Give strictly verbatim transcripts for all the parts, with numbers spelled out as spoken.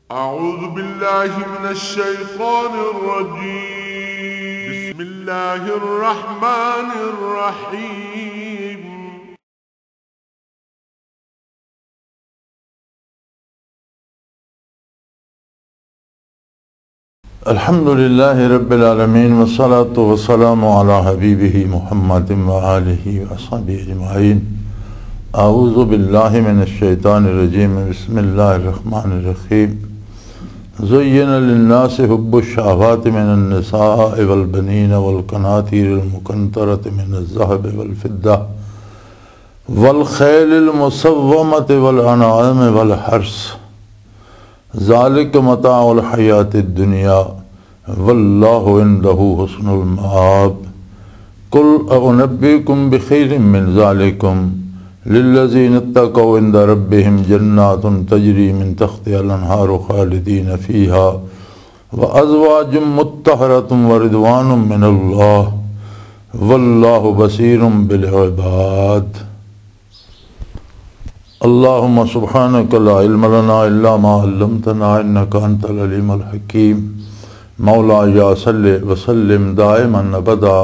أعوذ بالله من الشيطان الرجيم. بسم الله الرحمن الرحيم. الحمد لله رب العالمين، والصلاة والسلام على حبيبه محمد وآله وصحبه أجمعين. أعوذ بالله من الشيطان الرجيم. بسم الله الرحمن الرحيم. زين للناس حب الشهوات من النساء والبنين والقناطير المقنطرة من الذهب والفضة والخيل المسومة والأنعام والحرث، ذلك متاع الحياة الدنيا، والله عنده حسن المآب. قل أنبئكم بخير من ذلكم، للذين اتقوا عند ربهم جنات تجري من تحتها الأنهار خالدين فيها، وأزواج مطهرة ورضوان من الله، والله بصير بالعباد. اللهم سبحانك لا علم لنا إلا ما علمتنا إنك أنت العليم الحكيم. مولاي صل وسلم دائما أبدا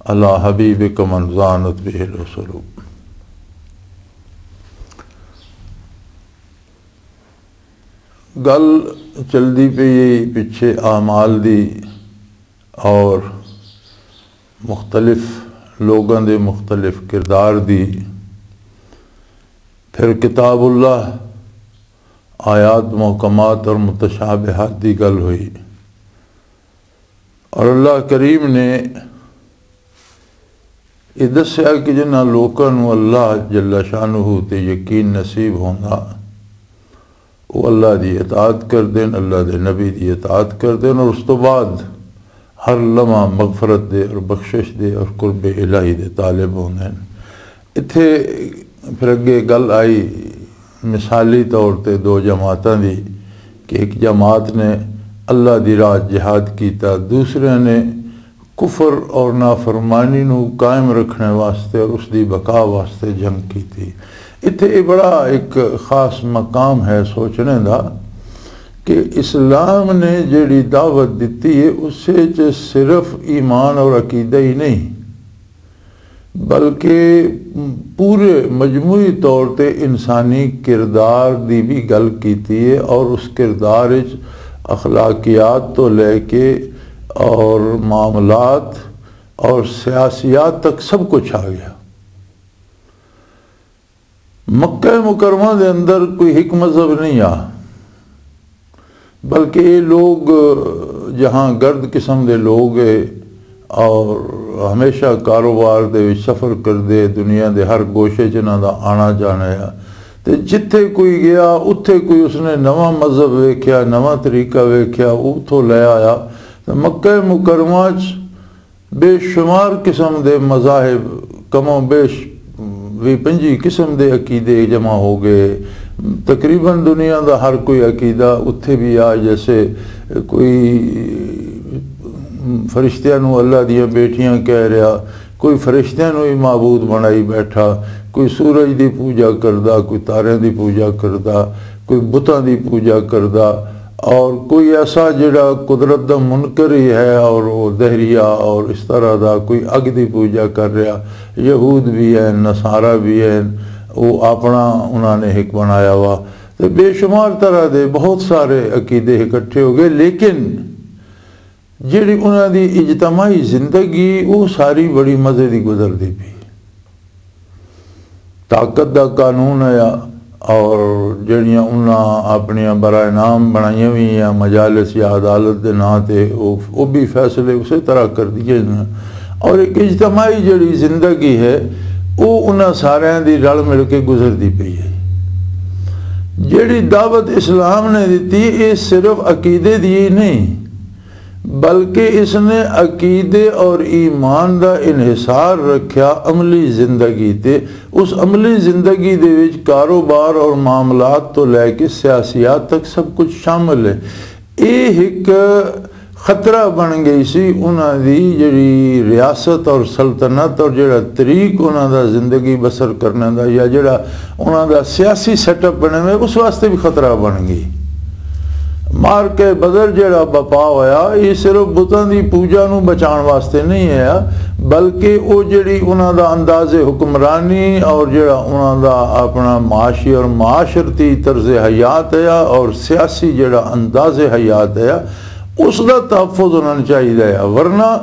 على حبيبك من زانت به العسل. گل چلدی پئی ہے پچھے اعمال دی اور مختلف لوگاں دے مختلف کردار دی۔ پھر کتاب اللہ، آیات محکمات اور متشابہات دی گل ہوئی، اور اللہ کریم نے یہ دسیا کہ جنہاں لوکاں نوں اللہ جل شانہ تے یقین نصیب ہوندا، وہ اللہ دی اطاعت کر دین، اللہ دے نبی دی اطاعت کر دین، اور اس تو بعد ہر لمحہ مغفرت دے اور بخشش دے اور قرب الہی دے طالب ہوندے ہیں۔ اتھے پھر اگے گل آئی مثالی طور تے دو جماعتاں دی، کہ ایک جماعت نے اللہ دی راہ جہاد کیتا، دوسرے نے کفر اور نافرمانی نو قائم رکھنے واسطے اور اس دی بقا واسطے جنگ کیتی۔ اتھے یہ بڑا ایک خاص مقام ہے سوچنے دا، کہ اسلام نے جڑی دعوت دتی ہے، اس وچ صرف ایمان اور عقیدہ ہی نہیں، بلکہ پورے مجموعی طور تے انسانی کردار دی بھی گل کیتی ہے، اور اس کردار وچ اخلاقیات تو لے کے اور معاملات اور سیاسیات تک سب کچھ آ گیا۔ مکہ مکرمہ دے اندر کوئی ایک مذہب نہیں آ، بلکہ یہ لوگ جہاں گرد قسم دے لوگ ہے اور ہمیشہ کاروبار دے وچ سفر کردے، دنیا دے ہر گوشے چ انہاں دا آنا جانا ہے۔ تے جتھے کوئی گیا، اتھے کوئی اس نے نواں مذہب ویکھیا، نواں طریقہ ویکھیا، اتھوں لے آیا۔ تے مکہ مکرمہ چ بے شمار قسم دے مذاہب، کم و بیش وی پنجی قسم دے عقیدے جمع ہو گئے۔ تقریباً دنیا دا ہر کوئی عقیدہ اتھے بھی آ، جیسے کوئی فرشتیاں نو اللہ دیاں بیٹیاں کہہ رہا، کوئی فرشتیاں نو ہی معبود بنائی بیٹھا، کوئی سورج دی پوجا کردا، کوئی تاریاں دی پوجا کردا، کوئی بتاں دی پوجا کردا، اور کوئی ایسا جڑا قدرت دا منکر ہی ہے اور وہ دہریہ اور اس طرح دا کوئی اگ دی پوجا کر رہا، یہود بھی ہیں، نصارہ بھی ہیں، وہ اپنا انہاں نے ایک بنایا ہوا۔ تے بے شمار طرح دے بہت سارے عقیدے اکٹھے ہو گئے، لیکن جڑی انہاں دی اجتماعی زندگی، وہ ساری بڑی مزے دی گزردی پئی۔ طاقت دا قانون ہے، اور جڑیاں انہاں اپنیاں برائے نام بنائیاں ہوئی ہیں مجالس یا عدالت دے ناں تے، وہ، وہ بھی فیصلے اسی طرح کر دیے ہیں۔ اور ایک اجتماعی جڑی زندگی ہے، وہ انہاں سارے دی رل مل کے گزردی پئی ہے۔ جڑی دعوت اسلام نے دتی، یہ صرف عقیدے دی ہی نہیں، بلکہ اس نے عقیدے اور ایمان دا انحصار رکھیا عملی زندگی تے۔ اس عملی زندگی دے وچ کاروبار اور معاملات تو لے کے سیاسیات تک سب کچھ شامل ہے۔ یہ ایک خطرہ بن گئی سی انہاں دی جڑی ریاست اور سلطنت اور جڑا طریق انہاں دا زندگی بسر کرنے دا، یا جڑا انہاں دا سیاسی سیٹ اپ بنے ہوئے، اس واسطے بھی خطرہ بن گئی۔ مار کے بدر جڑا بپا ہویا، یہ صرف بتاں دی پوجا نو بچان واسطے نہیں ہے، بلکہ او جڑی انہاں دا انداز حکمرانی اور جڑا انہاں دا اپنا معاشی اور معاشرتی طرز حیات ہے اور سیاسی جڑا انداز حیات ہے، اس دا تحفظ انہاں نوں چاہیدا ہے۔ ورنہ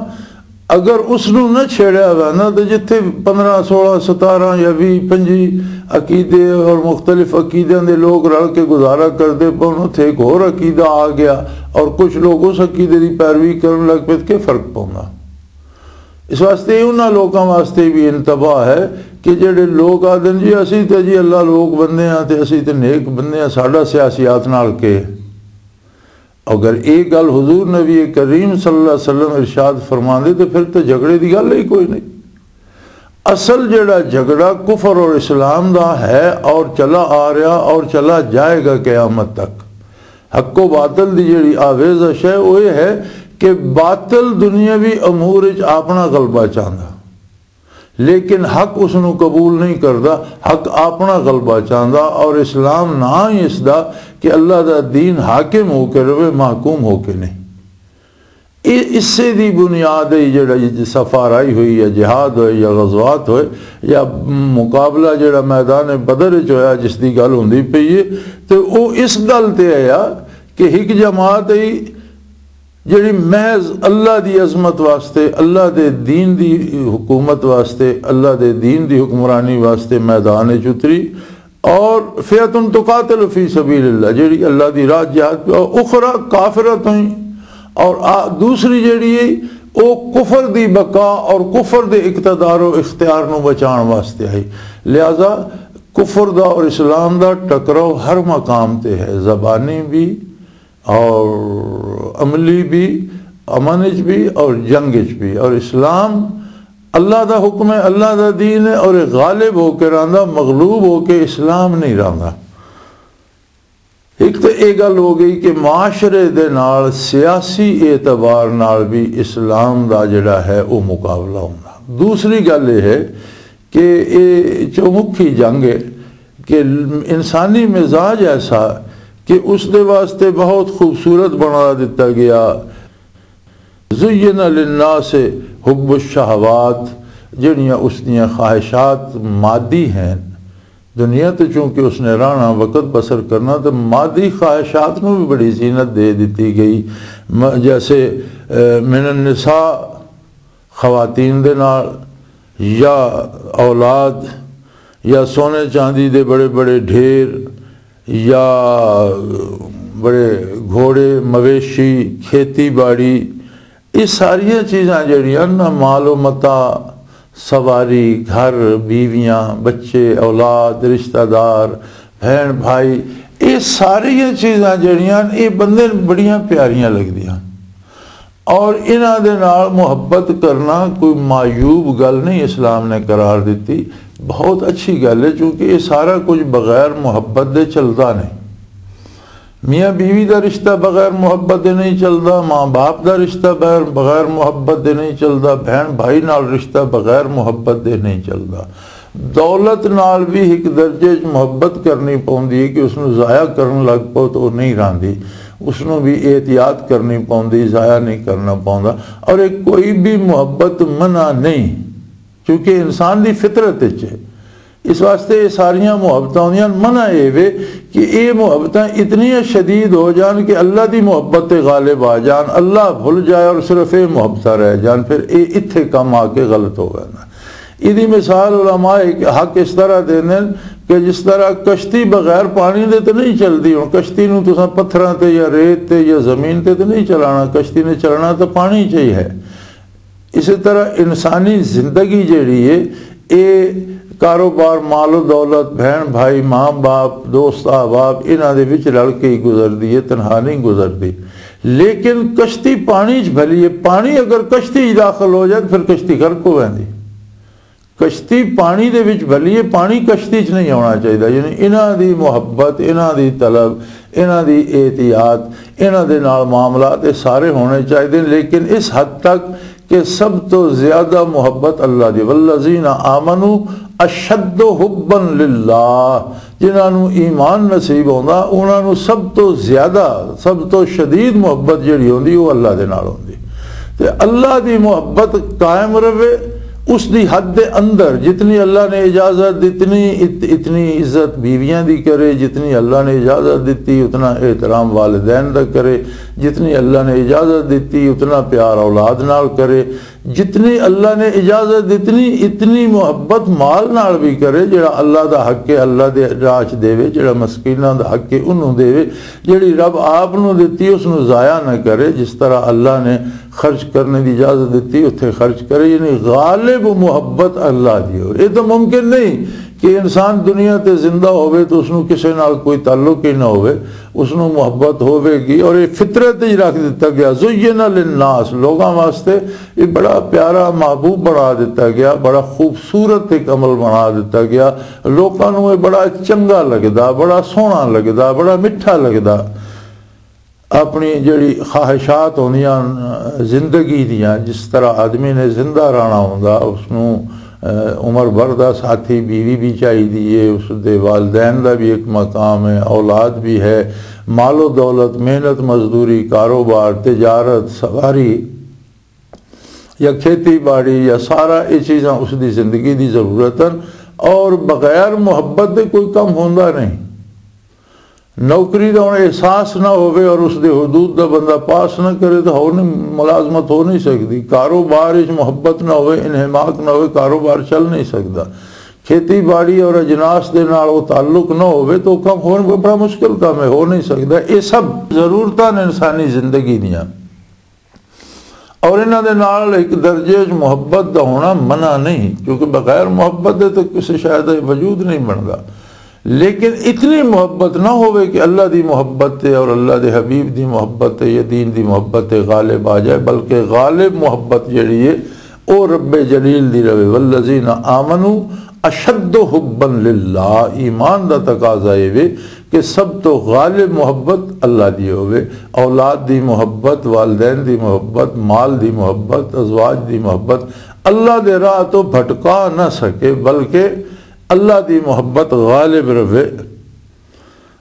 اگر اس نوں نہ چھیڑیا ہوا نا، تو جتھے پندرہ، سولہ، ستارہ یا ویہہ، پنجی عقیدے اور مختلف عقیدیاں دے لوگ رل کے گزارا کردے پون، اتھے ایک ہور عقیدہ آ گیا اور کچھ لوگ اس عقیدے دی پیروی کرن لگ پے، تے فرق پوندا؟ اس واسطے انہاں لوکاں واسطے بھی انتباہ ہے کہ جڑے لوگ آدن جی اسی تے جی اللہ لوگ بندے ہاں تے اسی تے نیک بندے ہاں، ساڈا سیاسیات نال کے؟ اگر ایک گل حضور نبی کریم صلی اللہ علیہ وسلم ارشاد فرماندے تو پھر تو جھگڑے دی گل ہی کوئی نہیں۔ اصل جڑا جھگڑا کفر اور اسلام دا ہے اور چلا آ رہا اور چلا جائے گا قیامت تک، حق و باطل دی جڑی آویزش ہے، وہ یہ ہے کہ باطل دنیاوی امور وچ اپنا غلبہ چاہندا، لیکن حق اس نوں قبول نہیں کردا۔ حق اپنا غلبہ چاہندا، اور اسلام نہ ہی اس دا کہ اللہ دا دین حاکم ہو کے رہے، محکوم ہو کے نہیں۔ یہ اسے دی بنیاد ہے، جڑا یہ سفر آئی ہوئی یا جہاد ہوئے یا غزوات ہوئے یا مقابلہ جڑا میدان بدر وچ ہویا، جس دی گل ہوندی پئی ہے، تے او اس گل تے آیا کہ ایک جماعت ہے جڑی محض اللہ دی عظمت واسطے، اللہ دے دین دی حکومت واسطے، اللہ دے دین دی حکمرانی واسطے میدان وچ اتری، اور فئۃ تقاتل فی سبیل اللہ، جڑی اللہ دی راہ جہاد پہ، اور اخری کافرۃ، اور آ-، دوسری جڑی ہے، او کفر دی بقا اور کفر دے اقتدار و اختیار نو بچان واسطے آئی۔ لہذا کفر دا اور اسلام دا ٹکراؤ ہر مقام تے ہے، زبانی بھی، اور عملی بھی، امن وچ بھی اور جنگ وچ بھی۔ اور اسلام اللہ دا حکم ہے، اللہ دا دین ہے، اور یہ غالب ہو کے رہندا، مغلوب ہو کے اسلام نہیں رہندا۔ ایک تو یہ گل ہو گئی کہ معاشرے دے نال، سیاسی اعتبار نال بھی اسلام دا جڑا ہے وہ مقابلہ ہونا۔ دوسری گل یہ ہے کہ یہ چومکھی جنگ ہے کہ انسانی مزاج ایسا کہ اس دے واسطے بہت خوبصورت بنا دتا گیا۔ زین للناس حب الشہوات، جڑیاں اس دیاں خواہشات مادی ہیں۔ دنیا تے چونکہ اس نے رہنا، وقت بسر کرنا، تو مادی خواہشات نو بھی بڑی زینت دے دتی گئی۔ م-، جیسے، اے، من النساء، خواتین دے نال، یا اولاد، یا سونے چاندی دے بڑے بڑے ڈھیر، یا بڑے گھوڑے، مویشی، کھیتی باڑی، یہ ساریاں چیزاں جڑیاں نا، مال و متاع، سواری، گھر، بیویاں، بچے، اولاد، رشتہ دار، بہن بھائی، یہ ساریاں چیزاں جڑیاں، یہ بندے نوں بڑیاں پیاریاں لگدیاں۔ اور انہاں دے نال محبت کرنا کوئی معیوب گل نہیں، اسلام نے قرار دتی، بہت اچھی گل ہے، چونکہ یہ سارا کچھ بغیر محبت دے چلدا نہیں۔ میاں بیوی دا رشتہ بغیر محبت دے نہیں چلدا، ماں باپ دا رشتہ بغیر، بغیر محبت دے نہیں چلدا، بہن بھائی نال رشتہ بغیر محبت دے نہیں چلدا۔ دولت نال بھی ایک درجے وچ محبت کرنی پوندی ہے کہ اس نوں ضائع کرن لگ پو تو وہ نہیں راندی، اس نوں بھی احتیاط کرنی پوندی، ضائع نہیں کرنا پوندا۔ اور ایک کوئی بھی محبت منع نہیں، کیونکہ انسان دی فطرت وچ ہے۔ اس واسطے یہ ساریاں محبتاں ہوندیاں، منع اے وے کہ یہ محبتاں اتنی شدید ہو جان کہ اللہ دی محبت تے غالب آ جان، اللہ بھل جائے اور صرف یہ محبتاں رہ جان، پھر یہ اتھے کم آ کے غلط ہو گیا نا۔ ایدی مثال علماء حق اس طرح دیندے نے کہ جس طرح کشتی بغیر پانی دے تے نہیں چلدی۔ ہن کشتی نوں تساں پتھراں تے یا ریت تے یا زمین تے تے نہیں چلانا، کشتی نے چلنا تے پانی چ ہی ہے۔ اسی طرح انسانی زندگی جیڑی ہے، اے کاروبار، مال و دولت، بہن بھائی، ماں باپ، دوست احباب، انہاں دے وچ رل کے ہی گزردی ہے، تنہا نہیں گزردی۔ لیکن کشتی پانی چ بھلی ہے، پانی اگر کشتی چ داخل ہو جائے تو پھر کشتی غرق ہو جاندی۔ کشتی پانی دے وچ بھلی ہے، پانی کشتی چ نہیں ہونا چاہیے۔ یعنی انہاں دی محبت، انہاں دی طلب، انہاں دی احتیاط، انہاں دے نال معاملات، یہ سارے ہونے چاہیے، لیکن اس حد تک کہ سب تو زیادہ محبت اللہ دی، والذین آمنوا اشد حبا للہ، جنہاں نوں ایمان نصیب ہوندا، انہاں نوں سب تو زیادہ، سب تو شدید محبت جڑی ہوندی، وہ اللہ دے نال ہوندی۔ تے اللہ دی محبت قائم رہے، اس دی حد دے اندر، جتنی اللہ نے اجازت دتنی، ات-، اتنی عزت بیویاں دی کرے، جتنی اللہ نے اجازت دتی، اتنا احترام والدین دا کرے، جتنی اللہ نے اجازت دتی، اتنا پیار اولاد نال کرے، جتنی اللہ نے اجازت دتنی، اتنی محبت مال نال بھی کرے۔ جڑا اللہ دا حق ہے، اللہ دے راہ چ دیوے، جڑا مسکیناں دا حق ہے، انہوں دیوے۔ جڑی رب آپ نو دتی، اس نو ضائع نہ کرے۔ جس طرح اللہ نے خرچ کرنے دی اجازت دتی، اتھے خرچ کرے، یعنی غالب محبت اللہ دی ہو۔ یہ تو ممکن نہیں کہ انسان دنیا تے زندہ ہوئے تو اس نو کسے نال کوئی تعلق ہی نہ ہوئے، اس نو محبت ہوئے گی۔ اور یہ فطرت ہی رکھ دتا گیا، زین للناس، لوگاں واسطے یہ بڑا پیارا محبوب بنا دتا گیا، بڑا خوبصورت ایک عمل بنا دتا گیا۔ لوکاں نوں یہ بڑا چنگا لگدا، بڑا سوہنا لگدا، بڑا مٹھا لگدا۔ اپنی جڑی خواہشات ہوندیاں زندگی دیاں، جس طرح آدمی نے زندہ رہنا ہوندا، اس نوں، اے، عمر بھر دا ساتھی بیوی بھی چاہیدی ہے، اس دے والدین دا بھی ایک مقام ہے، اولاد بھی ہے، مال و دولت، محنت مزدوری، کاروبار، تجارت، سواری، یا کھیتی باڑی، یا سارا یہ چیزاں اس دی زندگی دی ضرورت ہیں۔ اور بغیر محبت دے کوئی کم ہوندا نہیں۔ نوکری دا ہن احساس نہ ہووے اور اس دے حدود دا بندہ پاس نہ کرے تو ہو نہیں، ملازمت ہو نہیں سکدی۔ کاروبار وچ محبت نہ ہووے، انہماک نہ ہووے، کاروبار چل نہیں سکدا۔ کھیتی باڑی اور اجناس دے نال وہ تعلق نہ ہووے تو کم ہون بڑا مشکل کم ہے، ہو نہیں سکدا۔ یہ سب ضرورتاں نے انسانی زندگی دیاں۔ اور انہاں دے نال ایک درجے وچ محبت دا ہونا منع نہیں، کیونکہ بغیر محبت دے تو کسی شے دا وجود نہیں بندا۔ لیکن اتنی محبت نہ ہووے کہ اللہ دی محبت تے اور اللہ دے حبیب دی محبت تے یا دین دی محبت تے غالب آ جائے، بلکہ غالب محبت جڑی ہے، او رب جلیل دی رہے۔ والذین آمنوا اشد حبا للہ، ایمان دا تقاضا یہ وے کہ سب تو غالب محبت اللہ دی ہووے۔ اولاد دی محبت، والدین دی محبت، مال دی محبت، ازواج دی محبت اللہ دے راہ تو بھٹکا نہ سکے، بلکہ اللہ دی محبت غالب رہے۔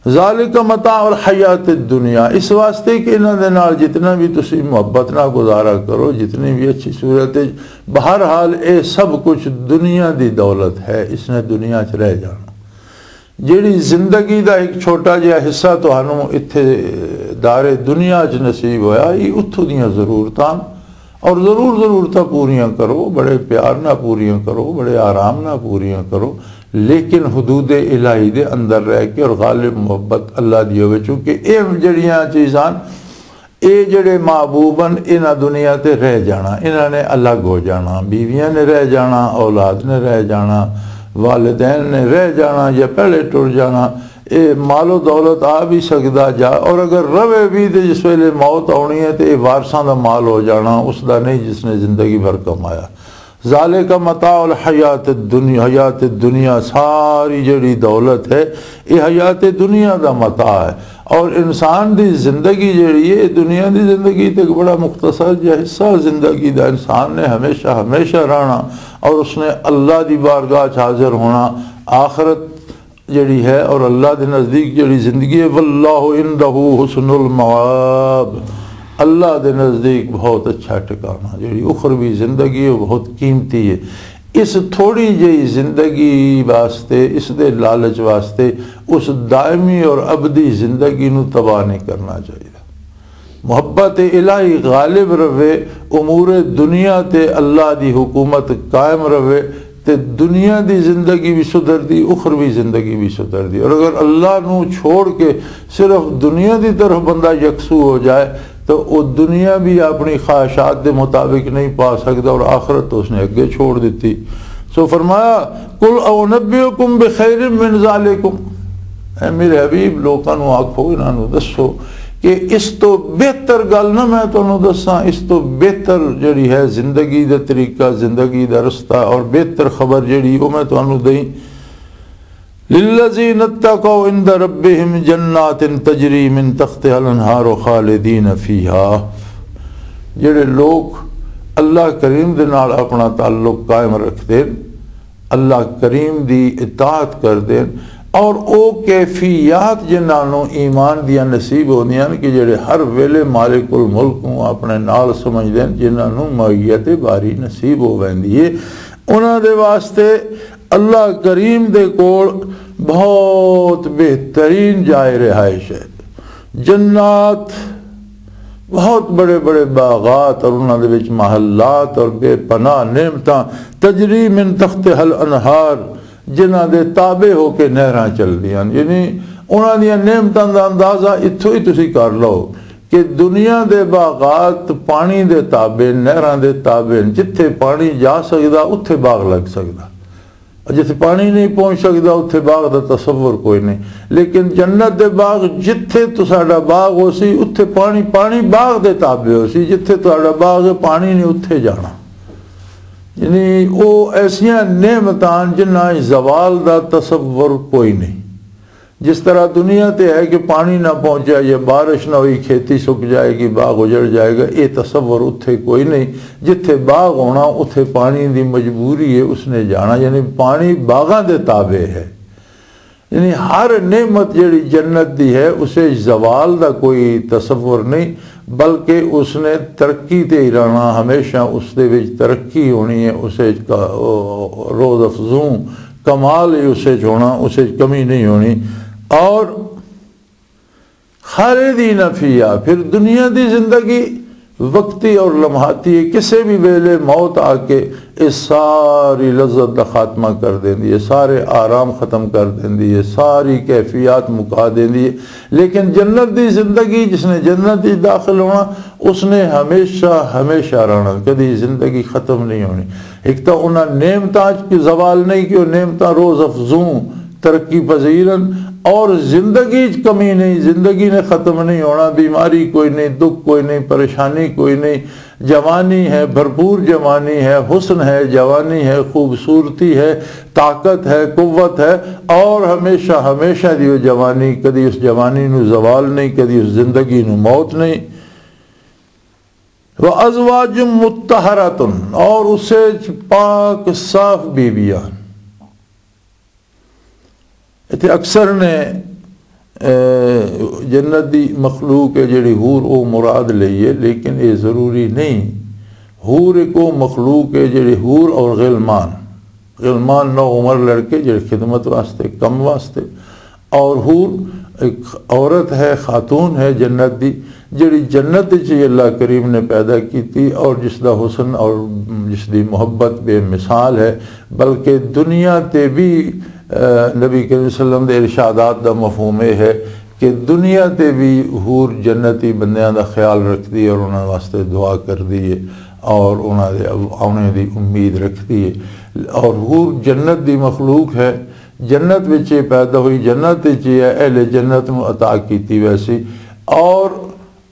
ذالک متاع الحیات الدنیا، اس واسطے کہ انہاں دے نال جتنا بھی تسی محبت نہ گزارا کرو، جتنی بھی اچھی صورت ہے، بہرحال اے سب کچھ دنیا دی دولت ہے، اس نے دنیا چ رہ جانا۔ جیڑی زندگی دا ایک چھوٹا جہا حصہ تہانوں اتھے دار دنیا چ نصیب ہویا، یہ اتھوں دیاں ضرورتاں اور ضرور ضرورتاں پوریاں کرو، بڑے پیار نہ پوریاں کرو، بڑے آرام نہ پوریاں کرو، لیکن حدود الہی دے اندر رہ کے اور غالب محبت اللہ دی ہوئے۔ چونکہ اے جڑیاں چیزاں، اے جڑے محبوب ہن، انہاں دنیا تے رہ جانا، انہاں نے الگ ہو جانا، بیویاں نے رہ جانا، اولاد نے رہ جانا، والدین نے رہ جانا یا پہلے ٹر جانا۔ اے مال و دولت آ بھی سکدا جا، اور اگر روے بھی تے جس ویلے موت آنی ہے تے اے وارثاں دا مال ہو جانا، اس دا نہیں جس نے زندگی بھر کمایا۔ ذالک متاع الحیات الدنیا، حیات الدنیا، ساری جڑی دولت ہے، یہ حیات دنیا دا متاع ہے۔ اور انسان دی زندگی جڑی ہے، دنیا دی زندگی تے ایک بڑا مختصر جہا حصہ زندگی دا۔ انسان نے ہمیشہ، ہمیشہ رہنا اور اس نے اللہ دی بارگاہ چ حاضر ہونا۔ آخرت جڑی ہے اور اللہ دے نزدیک جڑی زندگی ہے، واللہ عندہ حسن المآب، اللہ دے نزدیک بہت اچھا ٹھکانہ۔ جڑی اخروی زندگی ہے، وہ بہت قیمتی ہے۔ اس تھوڑی جہی زندگی واسطے، اس دے لالچ واسطے، اس دائمی اور ابدی زندگی نو تباہ نہیں کرنا چاہیے۔ محبت الہی غالب رہے، امور دنیا تے اللہ دی حکومت قائم رہے، تے دنیا دی زندگی بھی سدھر دی، اخروی زندگی بھی سدھر دی۔ اور اگر اللہ نو چھوڑ کے صرف دنیا دی طرف بندہ یکسو ہو جائے، تو وہ دنیا بھی اپنی خواہشات دے مطابق نہیں پا سکتا اور آخرت تو اس نے اگے چھوڑ دیتی۔ سو فرمایا، "قل اونبئکم بخیر من ذالکم"، اے میرے حبیب، لوکاں نو آکھو، انہاں نو دسو کہ اس تو بہتر گل نہ میں تانوں دساں، اس تو بہتر جڑی ہے زندگی دا طریقہ، زندگی دا رستہ اور بہتر خبر جڑی، وہ میں تانوں دئیں۔ للذین اتقوا عند ربهم جنات تجری من تحتها الانہار خالدین فیہا، جڑے لوگ اللہ کریم دے نال اپنا تعلق قائم رکھتے، اللہ کریم دی اطاعت کر دین، اور او کیفیات جنہاں نوں ایمان دیاں نصیب ہوندیاں نے کہ جڑے ہر ویلے مالک الملک نوں اپنے نال سمجھ دین، جنہاں نوں معیت باری نصیب ہو ویندی ہے، انہاں دے واسطے اللہ کریم دے کول بہت بہترین جائے رہائش ہے۔ جنات، بہت بڑے بڑے باغات اور انہاں دے وچ محلات اور بے پناہ نعمتاں، تجری من تحتها الانہار، جنہاں دے تابع ہو کے نہراں چلدیاں، یعنی انہاں دیاں نعمتاں دا اندازہ اتھوں ہی تسی کر لو کہ دنیا دے باغات پانی دے تابع، نہراں دے تابع، جتھے پانی جا سکدا اتھے باغ لگ سکدا۔ جتھے پانی نہیں پہنچ سکدا اتھے باغ دا تصور کوئی نہیں۔ لیکن جنت دے باغ، جتھے تساڈا باغ ہو سی اتھے پانی، پانی باغ دے تابع ہو سی، جتھے تساڈا باغ ہے پانی نہیں اتھے جانا۔ یعنی او ایسیاں نعمتاں جنہاں زوال دا تصور کوئی نہیں۔ جس طرح دنیا تے ہے کہ پانی نہ پہنچا یا بارش نہ ہوئی، کھیتی سک جائے گی، باغ اجڑ جائے گا، یہ تصور اتھے کوئی نہیں۔ جتھے باغ ہونا اتھے پانی دی مجبوری ہے، اس نے جانا، یعنی پانی باغاں دے تابع ہے۔ یعنی ہر نعمت جڑی جنت دی ہے اسے زوال دا کوئی تصور نہیں، بلکہ اس نے ترقی تے ہی رہنا، ہمیشہ اس دے وچ ترقی ہونی ہے، اسے کا-، او-، روز افزوں کمال ہی اسے چ ہونا، اسے چ کمی نہیں ہونی۔ اور خالدین فیہا، پھر دنیا دی زندگی وقتی اور لمحاتی ہے، کسے بھی ویلے موت آ کے اس ساری لذت دا خاتمہ کر دیندی ہے، سارے آرام ختم کر دیندی ہے، ساری کیفیات مکا دیندی ہے۔ لیکن جنت دی زندگی، جس نے جنت وچ داخل ہونا، اس نے ہمیشہ ہمیشہ رہنا، کدی زندگی ختم نہیں ہونی۔ ایک تو انہاں نعمتاں چ زوال نہیں کہ وہ نعمتاں روز افزوں، ترقی پذیرن، اور زندگی چ کمی نہیں، زندگی نے ختم نہیں ہونا، بیماری کوئی نہیں، دکھ کوئی نہیں، پریشانی کوئی نہیں، جوانی ہے، بھرپور جوانی ہے، حسن ہے، جوانی ہے، خوبصورتی ہے، طاقت ہے، قوت ہے، اور ہمیشہ ہمیشہ دی وہ جوانی، کدی اس جوانی نو زوال نہیں، کدی اس زندگی نو موت نہیں۔ وَأَزْوَاجٌ مُطَّهَّرَةٌ، اور اسے چ پاک صاف بیویاں۔ اتھے اکثر نے، اے، جنت دی مخلوق ہے جڑی حور او مراد لئی ہے، لیکن یہ ضروری نہیں۔ حور ایک او مخلوق ہے جڑی حور اور غلمان، غلمان نو عمر لڑکے جڑے خدمت واسطے، کم واسطے، اور حور ایک عورت ہے، خاتون ہے جنت دی، جڑی جنت وچ ہی اللہ کریم نے پیدا کیتی اور جس دا حسن اور جس دی محبت بے مثال ہے، بلکہ دنیا تے بھی، اے، نبی کریم صلی اللہ علیہ وسلم دے ارشادات دا مفہوم یہ ہے کہ دنیا تے بھی حور جنتی بندیاں دا خیال رکھدی ہے اور انہاں واسطے دعا کردی ہے اور انہاں دے آنے دی امید رکھدی ہے۔ اور حور جنت دی مخلوق ہے، جنت وچ یہ پیدا ہوئی، جنت وچ یہ اہل جنت نو عطا کیتی ویسی، اور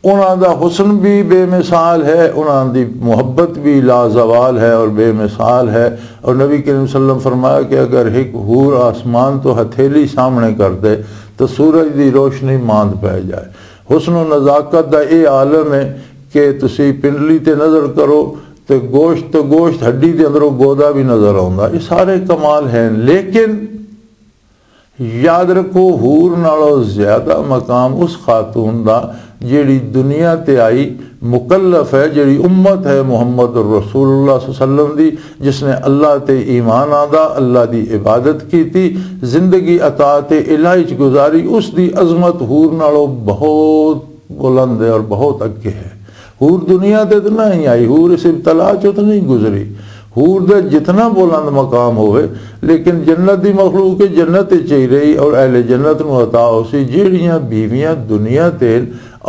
انہاں دا حسن بھی بے مثال ہے، انہاں دی محبت بھی لازوال ہے اور بے مثال ہے۔ اور نبی کریم صلی اللہ علیہ وسلم فرمایا کہ اگر ایک حور آسمان تو ہتھیلی سامنے کر دے تو سورج دی روشنی ماند پہ جائے۔ حسن و نزاکت دا اے عالم ہے کہ تسی پنڈلی تے نظر کرو تے گوشت تے گوشت، ہڈی دے اندروں گودا بھی نظر آوندا۔ یہ سارے کمال ہیں، لیکن یاد رکھو، حور نالوں زیادہ مقام اس خاتون دا جیڑی دنیا تے آئی، مکلف ہے، جیڑی امت ہے محمد رسول اللہ صلی اللہ علیہ وسلم دی، جس نے اللہ تے ایمان آندا، اللہ دی عبادت کیتی، زندگی اطاعت الہی چ گزاری۔ اس دی عظمت حور نالوں بہت بلند ہے اور بہت اگے ہے۔ حور دنیا تے تے نہ ہی آئی، حور اس ابتلا چوں تے نہیں گزری۔ حور دا جتنا بلند مقام ہوئے، لیکن جنت دی مخلوق ہے، جنت وچ ہی رہی اور اہل جنت نو عطا ہو سی۔ جیڑیاں بیویاں دنیا تے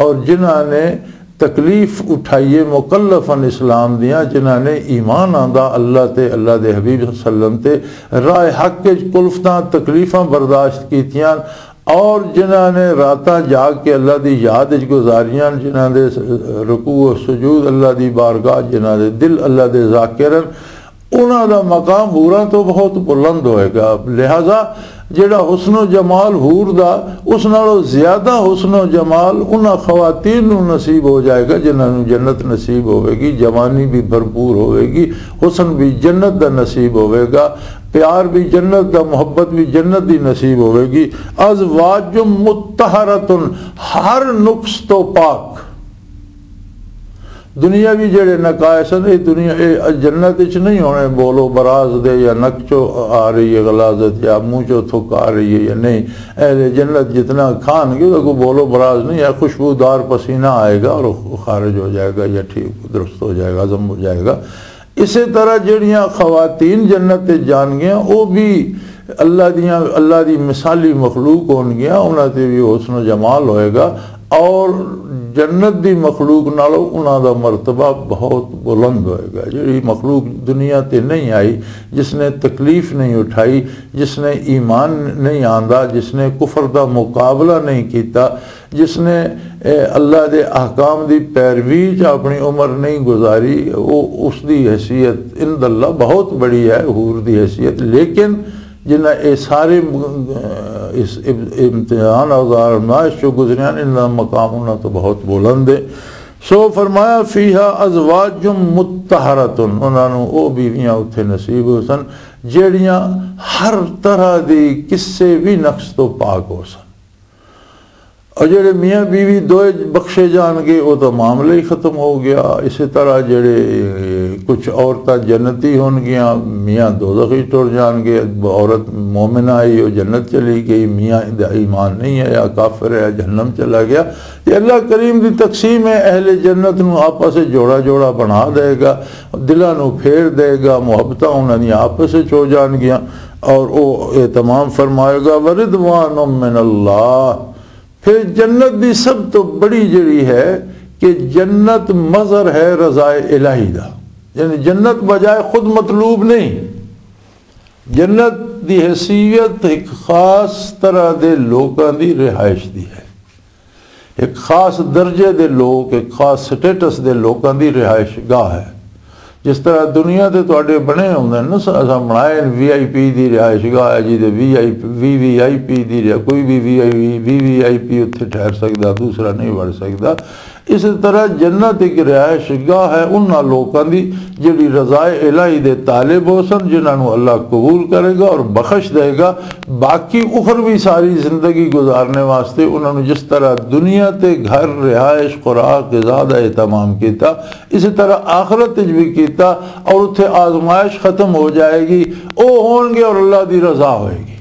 اور جنہاں نے تکلیف اٹھائیے مکلفن اسلام دیاں، جنہاں نے ایمان آندا اللہ تے، اللہ دے حبیب صلی اللہ علیہ وسلم تے، راہ حق وچ کلفتاں تکلیفاں برداشت کیتیاں، اور جنہاں نے راتاں جاگ کے اللہ دی یاد وچ گزاریاں، جنہاں دے رکوع و سجود اللہ دی بارگاہ، جنہاں دے دل اللہ دے ذاکر ہن، انہاں دا مقام ہوراں تو بہت بلند ہوئے گا۔ لہذا جڑا حسن و جمال حور دا، اس نالوں زیادہ حسن و جمال انہاں خواتین نوں نصیب ہو جائے گا جنہاں نوں جنت نصیب ہوئے گی، جوانی بھی بھرپور ہوئے گی، حسن بھی جنت دا نصیب ہوئے گا، پیار بھی جنت دا، محبت بھی جنت دی نصیب ہوئے گی۔ ازواج مطہرۃ، ہر نقص تو پاک۔ دنیاوی جڑے نقائص ہیں، یہ دنیا، یہ جنت وچ نہیں ہونے، بولو براز دے یا نک چو آ رہی ہے غلاظت، یا منہ چو تھک آ رہی ہے یا نہیں۔ اہل جنت جتنا کھان گے، وہ کو بولو براز نہیں ہے، خوشبودار پسینہ آئے گا اور خارج ہو جائے گا، یا ٹھیک درست ہو جائے گا، ہضم ہو جائے گا۔ اسی طرح جڑیاں خواتین جنت تے جان گیاں، وہ بھی اللہ دیاں، اللہ دی مثالی مخلوق ہون گیاں، انہاں تے بھی حسن و جمال ہوئے گا، اور جنت دی مخلوق نالوں انہاں دا مرتبہ بہت بلند ہوئے گا۔ جڑی مخلوق دنیا تے نہیں آئی، جس نے تکلیف نہیں اٹھائی، جس نے ایمان نہیں آندا، جس نے کفر دا مقابلہ نہیں کیتا، جس نے، اے، اللہ دے احکام دی پیروی چ اپنی عمر نہیں گزاری، وہ، اس دی حیثیت عند اللہ بہت بڑی ہے، حور دی حیثیت۔ لیکن جنہاں اے سارے م-، اس اب-، امتحان اور آزمائش چو گزریاں، انہاں دا مقام انہاں تو بہت بلند ہے۔ سو فرمایا، فیہا ازواج مطہرۃ، انہاں نوں او بیویاں اتھے نصیب ہو سن، جڑیاں ہر طرح دی کسے بھی نقص تو پاک ہو سن۔ اور جڑے میاں بیوی دوئے بخشے جان گے، وہ تو معاملہ ہی ختم ہو گیا۔ اسی طرح جڑے کچھ عورتاں جنتی ہون گیاں، میاں دوزخی ٹر جان گے۔ عورت مومنہ آئی، وہ جنت چلی گئی، میاں دا ایمان نہیں آیا، کافر ہے، جہنم چلا گیا۔ یہ اللہ کریم دی تقسیم ہے، اہل جنت نو آپس وچ جوڑا جوڑا بنا دے گا، دلاں نو پھیر دے گا، محبتاں انہاں دی آپس وچ ہو جان گیاں۔ اور او اہتمام فرمائے گا، ورضوان من اللہ۔ پھر جنت دی سب تو بڑی جڑی ہے کہ جنت مظہر ہے رضا الہی دا، یعنی جنت بجائے خود مطلوب نہیں۔ جنت دی حیثیت ایک خاص طرح دے لوکاں دی رہائش دی ہے، ایک خاص درجے دے لوک، ایک خاص سٹیٹس دے لوکاں دی رہائش گاہ ہے۔ جس طرح دنیا دے تواڈے بنے ہوندے نے نا، اساں بنائے وی آئی پی دی رہائش گاہ ہے جی، تے وی آئی پی، وی وی آئی پی دی رہا-، کوئی بھی وی آئی پی، وی وی آئی پی اتھے ٹھہر سکدا، دوسرا نہیں وڑ سکدا۔ اس طرح جنت ایک رہائش گاہ ہے انہاں لوکاں دی جڑی رضا الہی دے طالب ہو سن، جنہاں نوں اللہ قبول کرے گا اور بخش دے گا۔ باقی اخروی ساری زندگی گزارنے واسطے انہاں نوں جس طرح دنیا تے گھر، رہائش، خوراک، غذا دا اہتمام کیتا، اسی طرح آخرت وچ بھی کیتا، اور اتھے آزمائش ختم ہو جائے گی، او ہون گے اور اللہ دی رضا ہوئے گی۔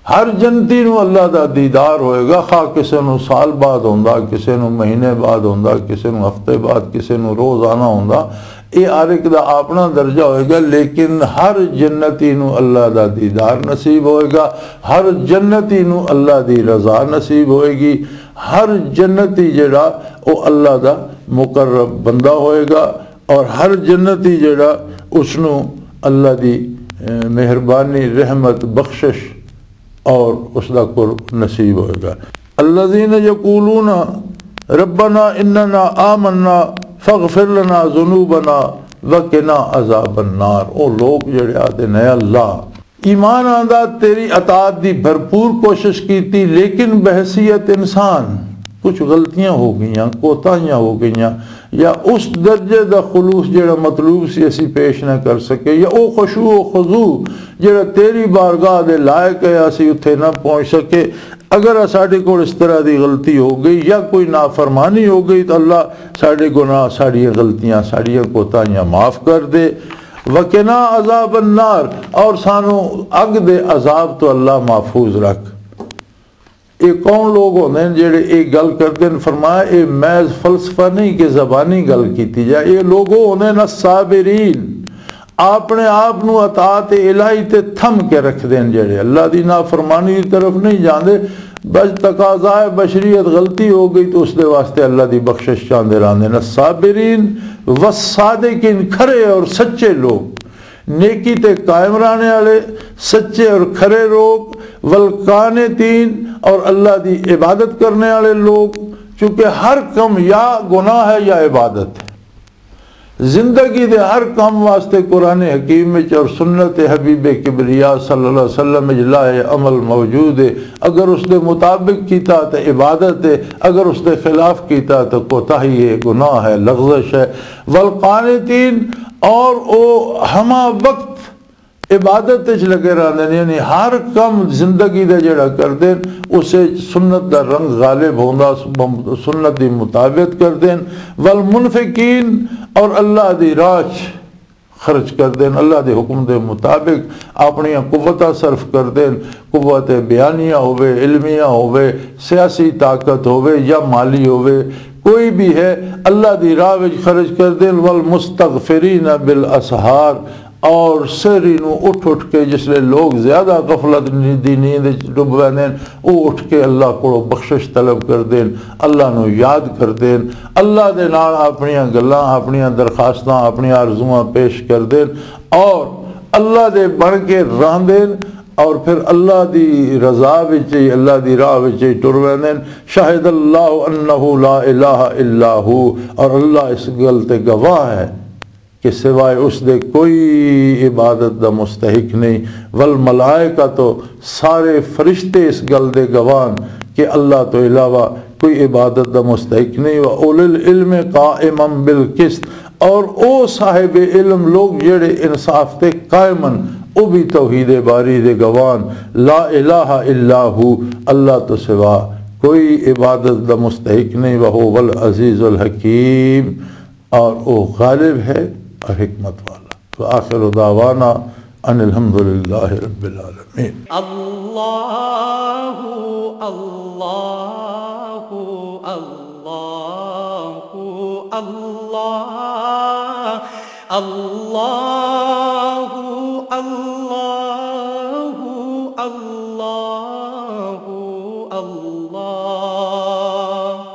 ہر جنتی نو اللہ دا دیدار ہوئے گا، خواہ کسے نو سال بعد ہوندا، کسے نو مہینے بعد ہوندا، کسے نو ہفتے بعد، کسے نو روزانہ ہوندا۔ اے ہر ایک دا اپنا درجہ ہوئے گا، لیکن ہر جنتی نو اللہ دا دیدار نصیب ہوئے گا، ہر جنتی نو اللہ دی رضا نصیب ہوئے گی۔ ہر جنتی جڑا، او اللہ دا مقرب بندہ ہوئے گا، اور ہر جنتی جڑا، اس نو اللہ دی، اے، مہربانی، رحمت، بخشش اور اس دا قرب نصیب ہوئے گا۔ الذین یقولون ربنا اننا آمنا فاغفر لنا ذنوبنا وقنا عذاب النار۔ او لوگ جڑے آتے نے، اللہ، ایمان آندا، تیری اطاعت دی بھرپور کوشش کیتی، لیکن بحیثیت انسان کچھ غلطیاں ہو گئیاں، کوتاہیاں ہو گئیاں، یا اس درجے دا خلوص جڑا مطلوب سی، اسی پیش نہ کر سکے، یا او خشوع و خضوع جڑا تیری بارگاہ دے لائق ہے، اسی اتھے نہ پہنچ سکے۔ اگر ساڈے کول اس طرح دی غلطی ہو گئی یا کوئی نافرمانی ہو گئی، تو اللہ ساڈے گناہ، ساڈیاں غلطیاں، ساڈیاں کوتاہیاں معاف کر دے۔ وقنا عذاب النار، اور سانو اگ دے عذاب تو اللہ محفوظ رکھ۔ یہ کون لوگ ہوندے ہیں جڑے یہ گل کردے ہیں؟ فرمایا، یہ محض فلسفہ نہیں کہ زبانی گل کیتی جائے۔ یہ لوگ وہ ہوندے ہیں الصابرین، اپنے آپ نو اطاعت الہی تے تھم کے رکھ دین، جڑے اللہ دی نافرمانی دی طرف نہیں جاندے۔ بس تقاضائے بشریت، غلطی ہو گئی تو اس دے واسطے اللہ دی بخشش چاہندے رہندے نے۔ صابرین والصادقین، کھرے اور سچے لوگ، نیکی تے قائم رہنے والے، سچے اور کھرے لوگ، والقانتین، اور اللہ دی عبادت کرنے والے لوگ۔ چونکہ ہر کم یا گناہ ہے یا عبادت ہے۔ زندگی دے ہر کام واسطے قرآن حکیم وچ اور سنت حبیب کبریا صلی اللہ علیہ وسلم وچ لائے عمل موجود ہے۔ اگر اس دے مطابق کیتا تے عبادت ہے، اگر اس دے خلاف کیتا تے کوتاہی ہے، گناہ ہے، لغزش ہے۔ والقانتین، اور او ہما وقت عبادت وچ لگے رہندے نے، یعنی ہر کم زندگی دا جڑا کردے نے، اس وچ سنت دا رنگ غالب ہوندا، سنت دی مطابقت کردے نے۔ والمنفقین، اور اللہ دی راہ چ خرچ کردے نے، اللہ دے حکم دے مطابق اپنی قوتاں صرف کردے نے، قوت بیانیہ ہوے، علمیہ ہوے، سیاسی طاقت ہوے یا مالی ہوے، کوئی بھی ہے، اللہ دی راہ وچ خرچ کردے نے۔ والمستغفرین بالاسحار، اور سحری نو اٹھ اٹھ کے، جس لے لوگ زیادہ غفلت دی نیند وچ ڈب ویندے نے، او اٹھ کے اللہ کولوں بخشش طلب کردے نے، اللہ نو یاد کردے نے، اللہ دے نال اپنیاں گلاں، اپنیاں درخواستاں، اپنیاں آرزواں پیش کردے نے اور اللہ دے بن کے رہندے نے اور پھر اللہ دی رضا وچ ہی، اللہ دی راہ وچ ہی ٹر ویندے نے۔ شہد اللہ انہ لا الہ الا ہو، اور اللہ اس گل تے گواہ ہے کہ سوائے اس دے کوئی عبادت دا مستحق نہیں۔ والملائکہ، تو سارے فرشتے اس گل دے گواہ کہ اللہ تو علاوہ کوئی عبادت دا مستحق نہیں۔ وَأُولِي الْعِلْمِ قَائِمًا بِالْقِسْطِ، اور او صاحب علم لوگ جڑے انصاف تے قائم ہن، او بھی توحید باری دے گواہ۔ لا الہ الا ہو، اللہ تو سوا کوئی عبادت دا مستحق نہیں۔ وَهُوَ الْعَزِيزُ الْحَكِيمُ، اور وہ غالب ہے اور حکمت والا۔ وآخر دعوانا ان الحمد للہ رب العالمین۔ اللہ، اللہ، اللہ، اللہ، اللہ، اللہ۔